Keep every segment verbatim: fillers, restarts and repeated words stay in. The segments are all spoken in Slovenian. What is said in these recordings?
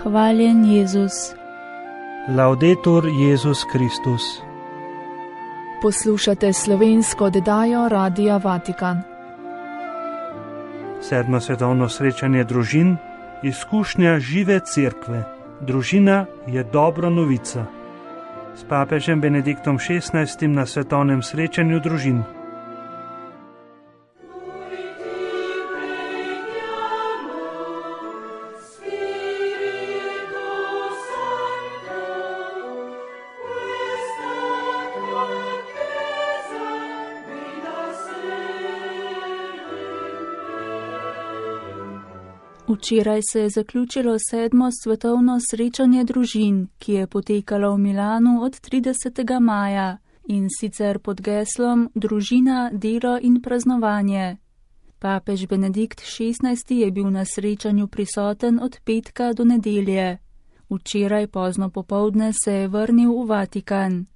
Hvaljen Jezus. Laudetur Jezus Kristus. Poslušate slovensko oddajo Radia Vatikan. Sedmo svetovno srečanje družin, izkušnja žive cerkve. Družina je dobra novica. S papežem Benediktom šestnajstim na svetovnem srečanju družin. Včeraj se je zaključilo sedmo svetovno srečanje družin, ki je potekalo v Milanu od tridesetega maja in sicer pod geslom Družina, delo in praznovanje. Papež Benedikt šestnajsti je bil na srečanju prisoten od petka do nedelje. Včeraj pozno popoldne se je vrnil v Vatikan.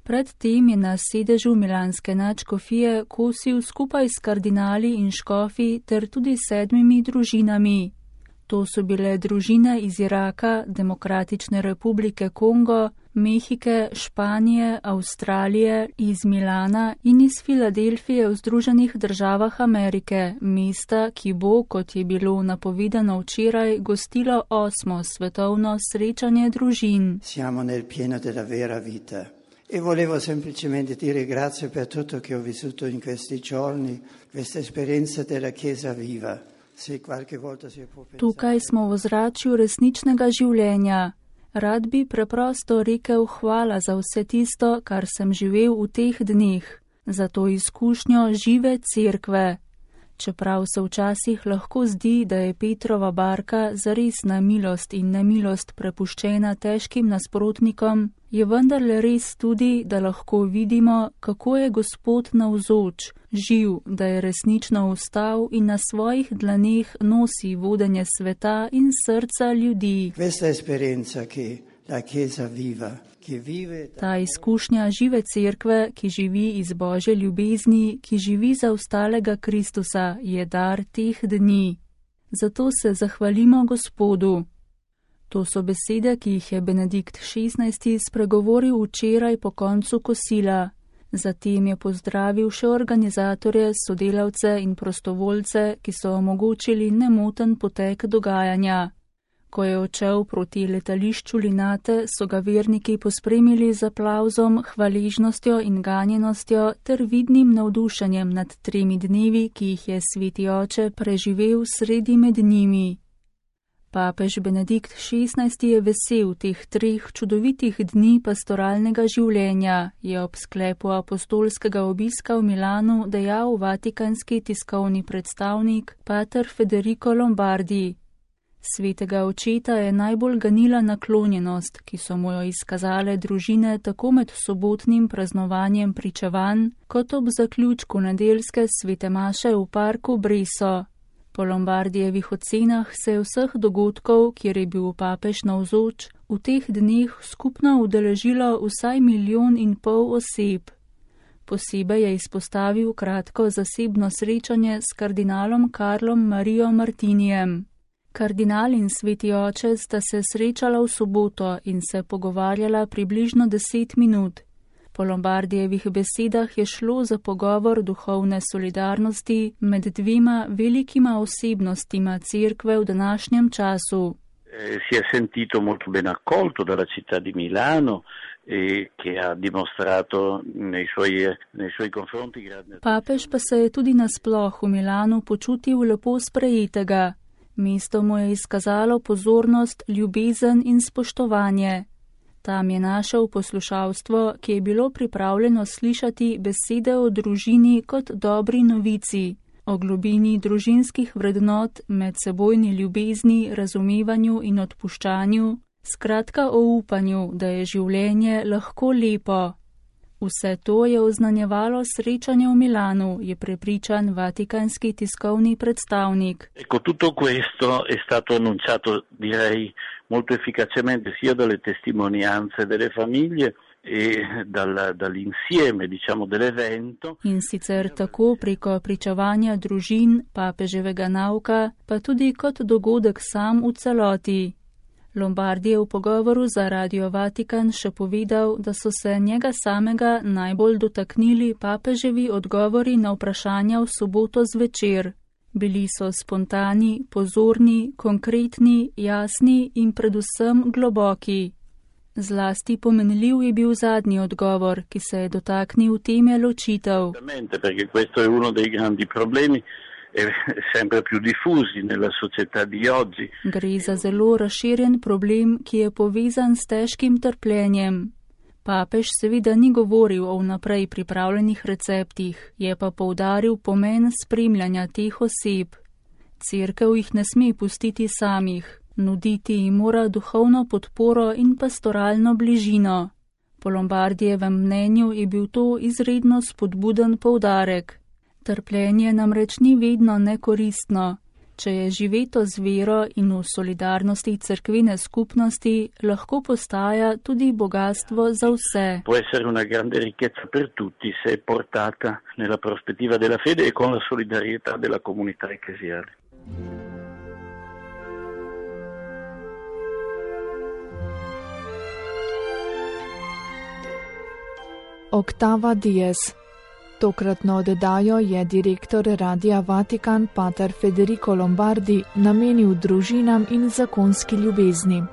Predtem je na sedežu milanske nadškofije kosil skupaj s kardinali in škofi ter tudi sedmimi družinami. To so bile družine iz Iraka, Demokratične republike Kongo, Mehike, Španije, Avstralije, iz Milana in iz Filadelfije v Združenih državah Amerike, mesta, ki bo, kot je bilo napovedano včeraj, gostilo osmo svetovno srečanje družin. Siamo nel pieno della vera vita. E volevo semplicemente dire grazie per tutto che ho vissuto in questi giorni, questa esperienza della Chiesa viva. Se qualche volta si può pensare... Tukaj smo v ozračju resničnega življenja. Rad bi preprosto rekel hvala za vse tisto, kar sem živel v teh dneh, za to izkušnjo žive cerkve. Čeprav se včasih lahko zdi, da je Petrova barka zares na milost in nemilost prepuščena težkim nasprotnikom, je vendarle res tudi, da lahko vidimo, kako je Gospod navzoč, živ, da je resnično vstal in na svojih dlaneh nosi vodenje sveta in srca ljudi. Questa esperienza che la Chiesa viva. Ta izkušnja žive cerkve, ki živi iz Božje ljubezni, ki živi za ostalega Kristusa, je dar teh dni. Zato se zahvalimo Gospodu. To so besede, ki jih je Benedikt šestnajsti spregovoril včeraj po koncu kosila. Zatem je pozdravil še organizatorje, sodelavce in prostovoljce, ki so omogočili nemoten potek dogajanja. Ko je odšel proti letališču Linate, so ga verniki pospremili z aplavzom, hvaležnostjo in ganjenostjo ter vidnim navdušenjem nad tremi dnevi, ki jih je sveti oče preživel sredi med njimi. Papež Benedikt šestnajsti je vesel teh treh čudovitih dni pastoralnega življenja, je ob sklepu apostolskega obiska v Milanu dejal vatikanski tiskovni predstavnik pater Federico Lombardi. Svetega očeta je najbolj ganila naklonjenost, ki so mu jo izkazale družine tako med sobotnim praznovanjem pričevanj, kot ob zaključku nedeljske svete maše v parku Breso. Po Lombardijevih ocenah se je vseh dogodkov, kjer je bil papež navzoč, v teh dneh skupno udeležilo vsaj milijon in pol oseb. Posebej je izpostavil kratko zasebno srečanje s kardinalom Karlom Marijo Martinijem. Kardinal in sveti oče sta se srečala v soboto in se pogovarjala približno deset minut. Po Lombardijevih besedah je šlo za pogovor duhovne solidarnosti med dvema velikima osebnostima cerkve v današnjem času. Si je sentito molto ben accolto dalla città di Milano e che ha dimostrato nei suoi, nei suoi confronti grande... Papež pa se je tudi nasploh v Milanu počutil lepo sprejetega. Mesto mu je izkazalo pozornost, ljubezen in spoštovanje. Tam je našel poslušalstvo, ki je bilo pripravljeno slišati besede o družini kot dobri novici, o globini družinskih vrednot, medsebojni ljubezni, razumevanju in odpuščanju, skratka o upanju, da je življenje lahko lepo. Vse to je oznanjevalo srečanje v Milanu, je prepričan vatikanski tiskovni predstavnik. Ecco, tutto questo è stato annunciato, direi, molto efficacemente sia dalle testimonianze delle famiglie e dal, dall'insieme, diciamo, dell'evento. In sicer tako preko pričevanja družin, papeževega nauka, pa tudi kot dogodek sam v celoti. Lombardi je v pogovoru za Radio Vatikan še povedal, da so se njega samega najbolj dotaknili papeževi odgovori na vprašanja v soboto zvečer. Bili so spontani, pozorni, konkretni, jasni in predvsem globoki. Zlasti pomenljiv je bil zadnji odgovor, ki se je dotaknil teme ločitev. Perché questo è uno dei grandi problemi. Sempre più diffusi nella società di oggi. Gre za zelo razširjen problem, ki je povezan s težkim trpljenjem. Papež seveda ni govoril o vnaprej pripravljenih receptih, je pa poudaril pomen spremljanja teh oseb. Cerkev jih ne sme pustiti samih, nuditi jim mora duhovno podporo in pastoralno bližino. Po Lombardijevem mnenju je bil to izredno spodbuden poudarek. Trpljenje namreč ni vedno nekoristno. Če je živeto z vero in v solidarnosti cerkvene skupnosti, lahko postaja tudi bogatstvo za vse. Può essere una grande ricchezza per tutti se è portata nella prospettiva della fede e con la solidarietà della comunità ecclesiale. Octava Dies. Tokratno oddajo je direktor Radia Vatikan pater Federico Lombardi namenil družinam in zakonski ljubezni.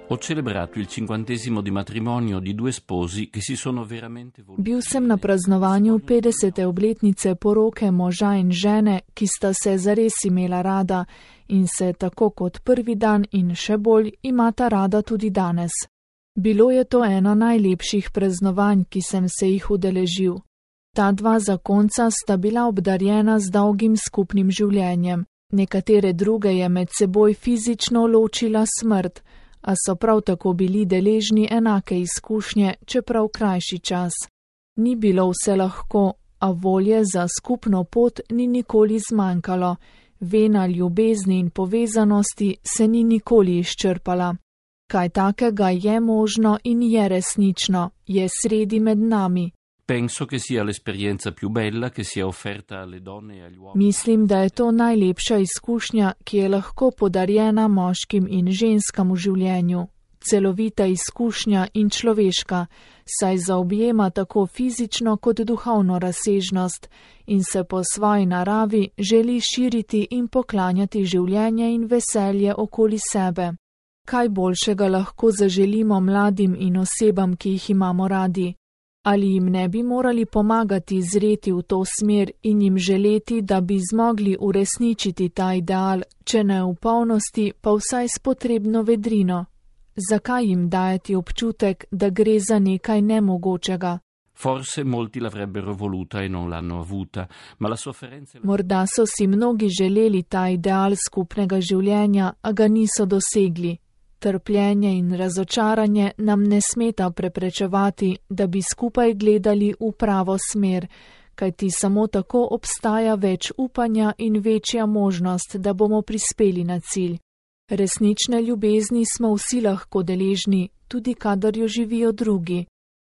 Ho celebrato il cinquantesimo di matrimonio di due sposi che si sono veramente voluti. Bil sem na praznovanju petdesete obletnice poroke moža in žene, ki sta se zares imela rada in se tako kot prvi dan in še bolj imata rada tudi danes. Bilo je to eno najlepših praznovanj, ki sem se jih udeležil. Ta dva zakonca sta bila obdarjena z dolgim skupnim življenjem. Nekatere druge je med seboj fizično ločila smrt, a so prav tako bili deležni enake izkušnje, čeprav krajši čas. Ni bilo vse lahko, a volje za skupno pot ni nikoli zmanjkalo. Vena ljubezni in povezanosti se ni nikoli izčrpala. Kaj takega je možno in je resnično, je sredi med nami. Penso che sia l'esperienza più bella che sia offerta alle donne e agli uomini. Mislim, da je to najlepša izkušnja, ki je lahko podarjena moškim in ženskam v življenju. Celovita izkušnja in človeška, saj zaobjema tako fizično kot duhovno razsežnost in se po svoji naravi želi širiti in poklanjati življenje in veselje okoli sebe. Kaj boljšega lahko zaželimo mladim in osebam, ki jih imamo radi? Ali jim ne bi morali pomagati zreti v to smer in jim želeti, da bi zmogli uresničiti ta ideal, če ne v polnosti, pa vsaj s potrebno vedrino? Zakaj jim dajati občutek, da gre za nekaj nemogočega? Forse molti l'avrebbero voluta e non l'hanno avuta, ma la sofferenza... Morda so si mnogi želeli ta ideal skupnega življenja, a ga niso dosegli. Trpljenje in razočaranje nam ne smeta preprečevati, da bi skupaj gledali v pravo smer, kajti samo tako obstaja več upanja in večja možnost, da bomo prispeli na cilj. Resnične ljubezni smo vsi lahko deležni, tudi kadar jo živijo drugi.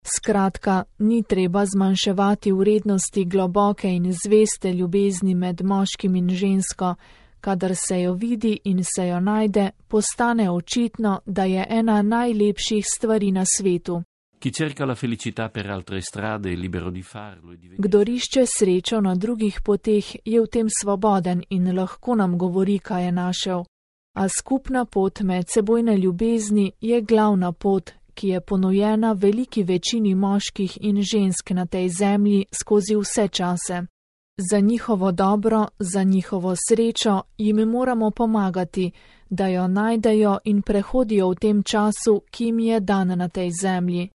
Skratka, ni treba zmanjševati vrednosti globoke in zveste ljubezni med moškim in žensko. Kadar se jo vidi in se jo najde, postane očitno, da je ena najlepših stvari na svetu. Kdor išče srečo na drugih poteh, je v tem svoboden in lahko nam govori, kaj je našel. A skupna pot medsebojne ljubezni je glavna pot, ki je ponujena veliki večini moških in žensk na tej zemlji skozi vse čase. Za njihovo dobro, za njihovo srečo jim moramo pomagati, da jo najdejo in prehodijo v tem času, ki jim je dan na tej zemlji.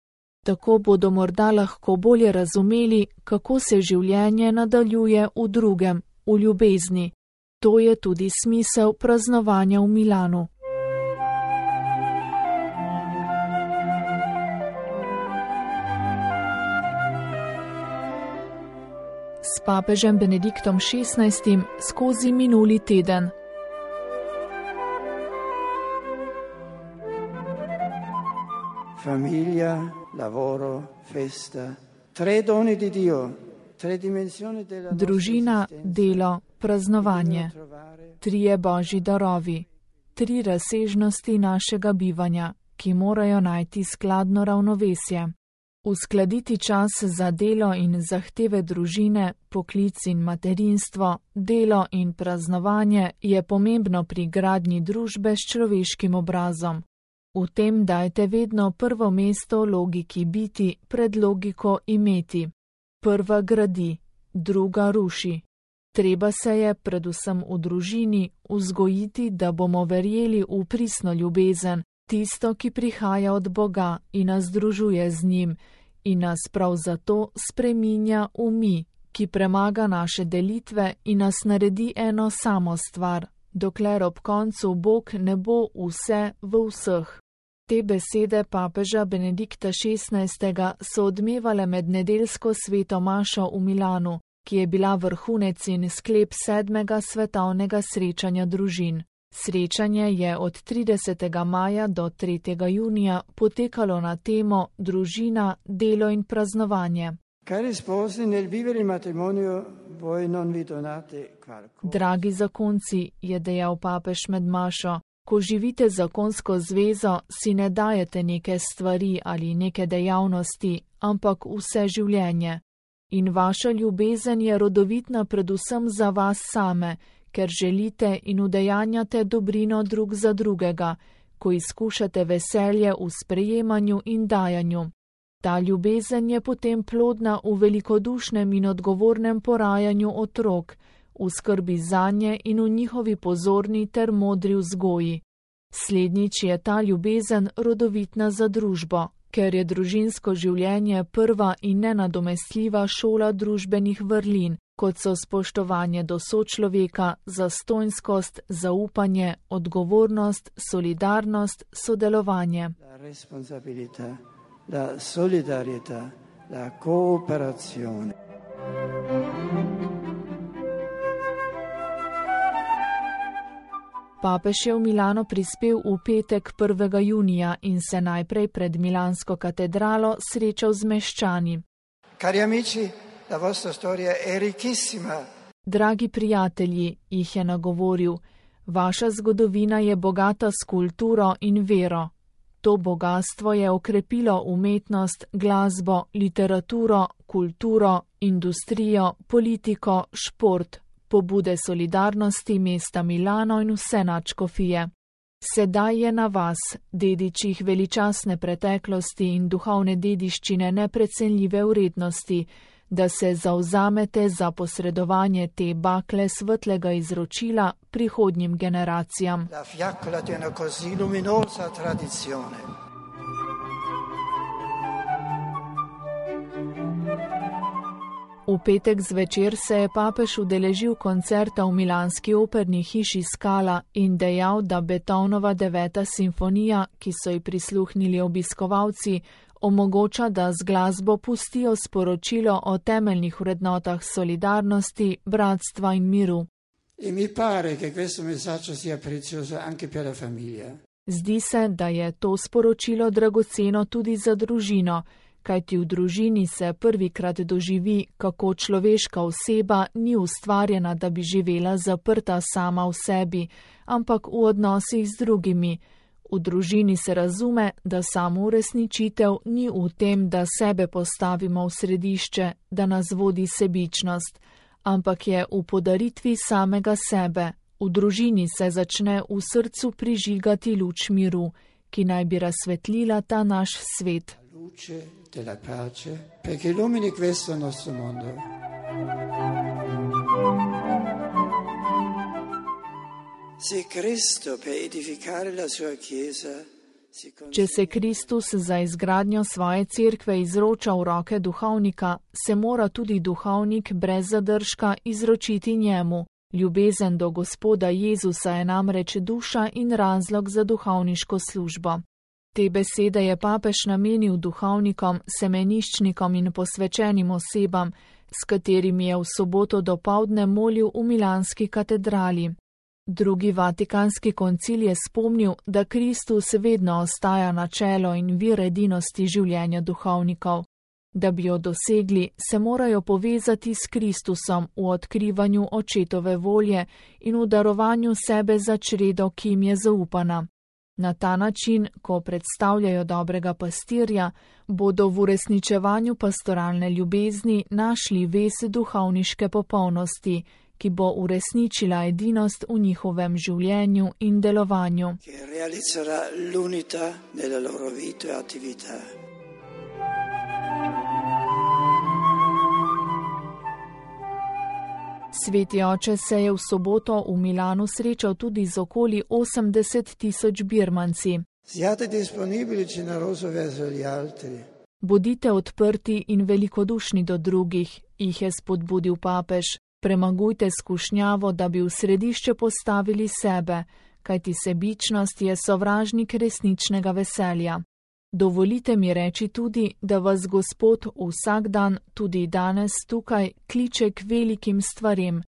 Tako bodo morda lahko bolje razumeli, kako se življenje nadaljuje v drugem, v ljubezni. To je tudi smisel praznovanja v Milanu. S papežem Benediktom šestnajstim skozi minuli teden. Famiglia, lavoro, festa, tre doni di Dio, Družina, delo, praznovanje. Trije božji darovi. Tri razsežnosti našega bivanja, ki morajo najti skladno ravnovesje. Uskladiti čas za delo in zahteve družine, poklic in materinstvo, delo in praznovanje je pomembno pri gradnji družbe s človeškim obrazom. V tem dajte vedno prvo mesto logiki biti pred logiko imeti. Prva gradi, druga ruši. Treba se je, predvsem v družini, vzgojiti, da bomo verjeli v pristno ljubezen, tisto, ki prihaja od Boga in nas združuje z njim, in nas prav zato spreminja v mi, ki premaga naše delitve in nas naredi eno samo stvar, dokler ob koncu Bog ne bo vse v vseh. Te besede papeža Benedikta šestnajstega so odmevale med nedeljsko sveto mašo v Milanu, ki je bila vrhunec in sklep sedmega svetovnega srečanja družin. Srečanje je od tridesetega maja do tretjega junija potekalo na temo družina, delo in praznovanje. Dragi zakonci, je dejal papež med mašo, ko živite zakonsko zvezo, si ne dajete neke stvari ali neke dejavnosti, ampak vse življenje. In vaša ljubezen je rodovitna predvsem za vas same, ker želite in udejanjate dobrino drug za drugega, ko izkušate veselje v sprejemanju in dajanju. Ta ljubezen je potem plodna v velikodušnem in odgovornem porajanju otrok, v skrbi zanje in v njihovi pozorni ter modri vzgoji. Slednjič je ta ljubezen rodovitna za družbo, ker je družinsko življenje prva in nenadomestljiva šola družbenih vrlin, kot so spoštovanje do sočloveka, zastojnskost, zaupanje, odgovornost, solidarnost, sodelovanje. La responsabilità, la solidarietà, la cooperazione. Papež je v Milano prispel v petek prvega junija in se najprej pred Milansko katedralo srečal z meščani. Cari amici, la vostra storia è ricchissima. Dragi prijatelji, jih je nagovoril, vaša zgodovina je bogata s kulturo in vero. To bogatstvo je okrepilo umetnost, glasbo, literaturo, kulturo, industrijo, politiko, šport, pobude solidarnosti mesta Milano in vse nadškofije. Sedaj je na vas, dedičih veličastne preteklosti in duhovne dediščine neprecenljive vrednosti, da se zavzamete za posredovanje te bakle svetlega izročila prihodnjim generacijam. La fiaccola di una così luminosa tradizione. V petek zvečer se je papež udeležil koncerta v milanski operni hiši Scala in dejal, da Beethovenova deveta simfonija, ki so ji prisluhnili obiskovalci, omogoča, da z glasbo pustijo sporočilo o temeljnih vrednotah solidarnosti, bratstva in miru. E mi pare che questo messaggio sia prezioso anche per la famiglia. Zdi se, da je to sporočilo dragoceno tudi za družino, kajti v družini se prvikrat doživi, kako človeška oseba ni ustvarjena, da bi živela zaprta sama v sebi, ampak v odnosih z drugimi. V družini se razume, da samo uresničitev ni v tem, da sebe postavimo v središče, da nas vodi sebičnost, ampak je v podaritvi samega sebe. V družini se začne v srcu prižigati luč miru, ki naj bi razsvetlila ta naš svet. Luce della pace, perché illumini questo nostro mondo. Se Cristo per edificare la sua chiesa si Če se Kristus za izgradnjo svoje cerkve izroča v roke duhovnika, se mora tudi duhovnik brez zadržka izročiti njemu. Ljubezen do Gospoda Jezusa je namreč duša in razlog za duhovniško službo. Te besede je papež namenil duhovnikom, semeniščnikom in posvečenim osebam, s katerimi je v soboto dopoldne molil v milanski katedrali. Drugi vatikanski koncil je spomnil, da Kristus vedno ostaja načelo in vir edinosti življenja duhovnikov. Da bi jo dosegli, se morajo povezati s Kristusom v odkrivanju očetove volje in v darovanju sebe za čredo, ki jim je zaupana. Na ta način, ko predstavljajo dobrega pastirja, bodo v uresničevanju pastoralne ljubezni našli vez duhovniške popolnosti, ki bo uresničila edinost v njihovem življenju in delovanju. Sveti oče se je v soboto v Milanu srečal tudi z okoli osemdeset tisoč birmanci. Bodite odprti in velikodušni do drugih, jih je spodbudil papež. Premagujte skušnjavo, da bi v središče postavili sebe, kajti sebičnost je sovražnik resničnega veselja. Dovolite mi reči tudi, da vas Gospod vsak dan, tudi danes tukaj, kliče k velikim stvarem.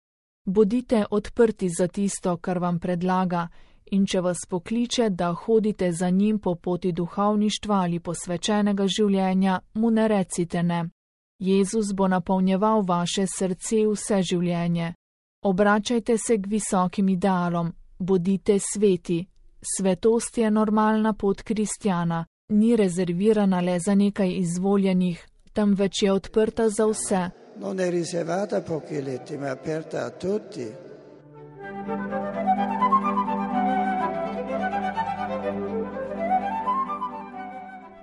Bodite odprti za tisto, kar vam predlaga, in če vas pokliče, da hodite za njim po poti duhovništva ali posvečenega življenja, mu ne recite ne. Jezus bo napolnjeval vaše srce vse življenje. Obračajte se k visokim idealom, bodite sveti. Svetost je normalna pot kristjana. Ni rezervirana le za nekaj izvoljenih, temveč je odprta za vse. Non è riservata a pochi eletti, ma aperta a tutti.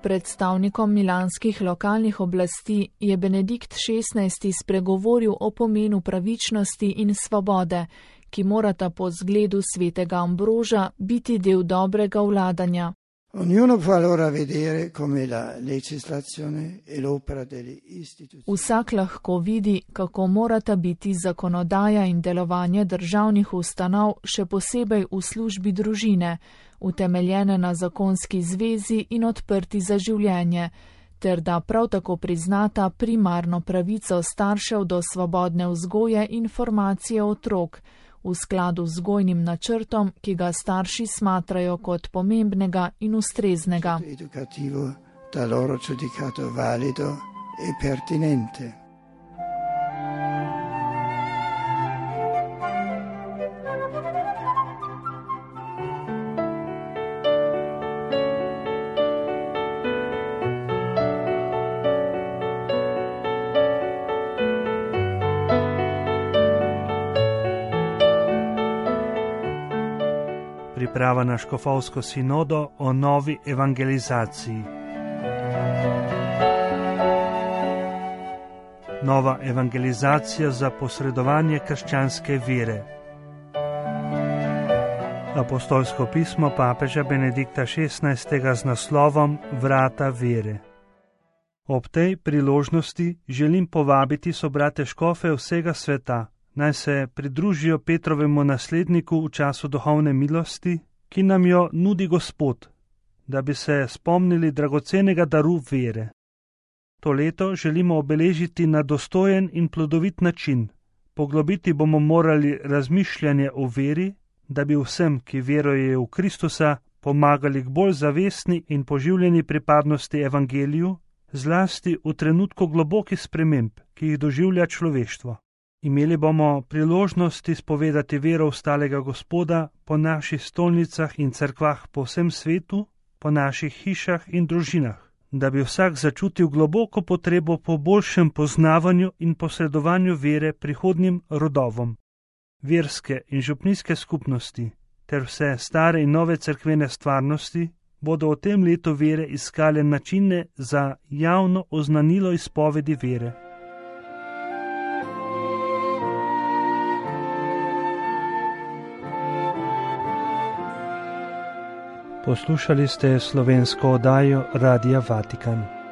Predstavnikom milanskih lokalnih oblasti je Benedikt šestnajsti spregovoril o pomenu pravičnosti in svobode, ki morata po zgledu svetega Ambroža biti del dobrega vladanja. Ognuno può allora vedere come la legislazione e l'opera delle istituzioni. Vsak lahko vidi, kako morata biti zakonodaja in delovanje državnih ustanov, še posebej v službi družine, utemeljene na zakonski zvezi in odprti za življenje, ter da prav tako priznata primarno pravico staršev do svobodne vzgoje in formacije otrok, v skladu z vzgojnim načrtom, ki ga starši smatrajo kot pomembnega in ustreznega. Educativo da loro giudicato valido e pertinente. Priprava na škofovsko sinodo o novi evangelizaciji. Nova evangelizacija za posredovanje krščanske vere. Apostolsko pismo papeža Benedikta šestnajstega z naslovom Vrata vere. Ob tej priložnosti želim povabiti sobrate škofe vsega sveta, naj se pridružijo Petrovemu nasledniku v času duhovne milosti, ki nam jo nudi Gospod, da bi se spomnili dragocenega daru vere. To leto želimo obeležiti na dostojen in plodovit način. Poglobiti bomo morali razmišljanje o veri, da bi vsem, ki verujejo v Kristusa, pomagali k bolj zavestni in poživljeni pripadnosti evangeliju, zlasti v trenutku globokih sprememb, ki jih doživlja človeštvo. Imeli bomo priložnost izpovedati vero v stalega Gospoda po naših stolnicah in cerkvah po vsem svetu, po naših hišah in družinah, da bi vsak začutil globoko potrebo po boljšem poznavanju in posredovanju vere prihodnjim rodovom. Verske in župnijske skupnosti ter vse stare in nove cerkvene stvarnosti bodo v tem letu vere iskale načine za javno oznanilo izpovedi vere. Poslušali ste slovensko oddajo Radia Vatikan.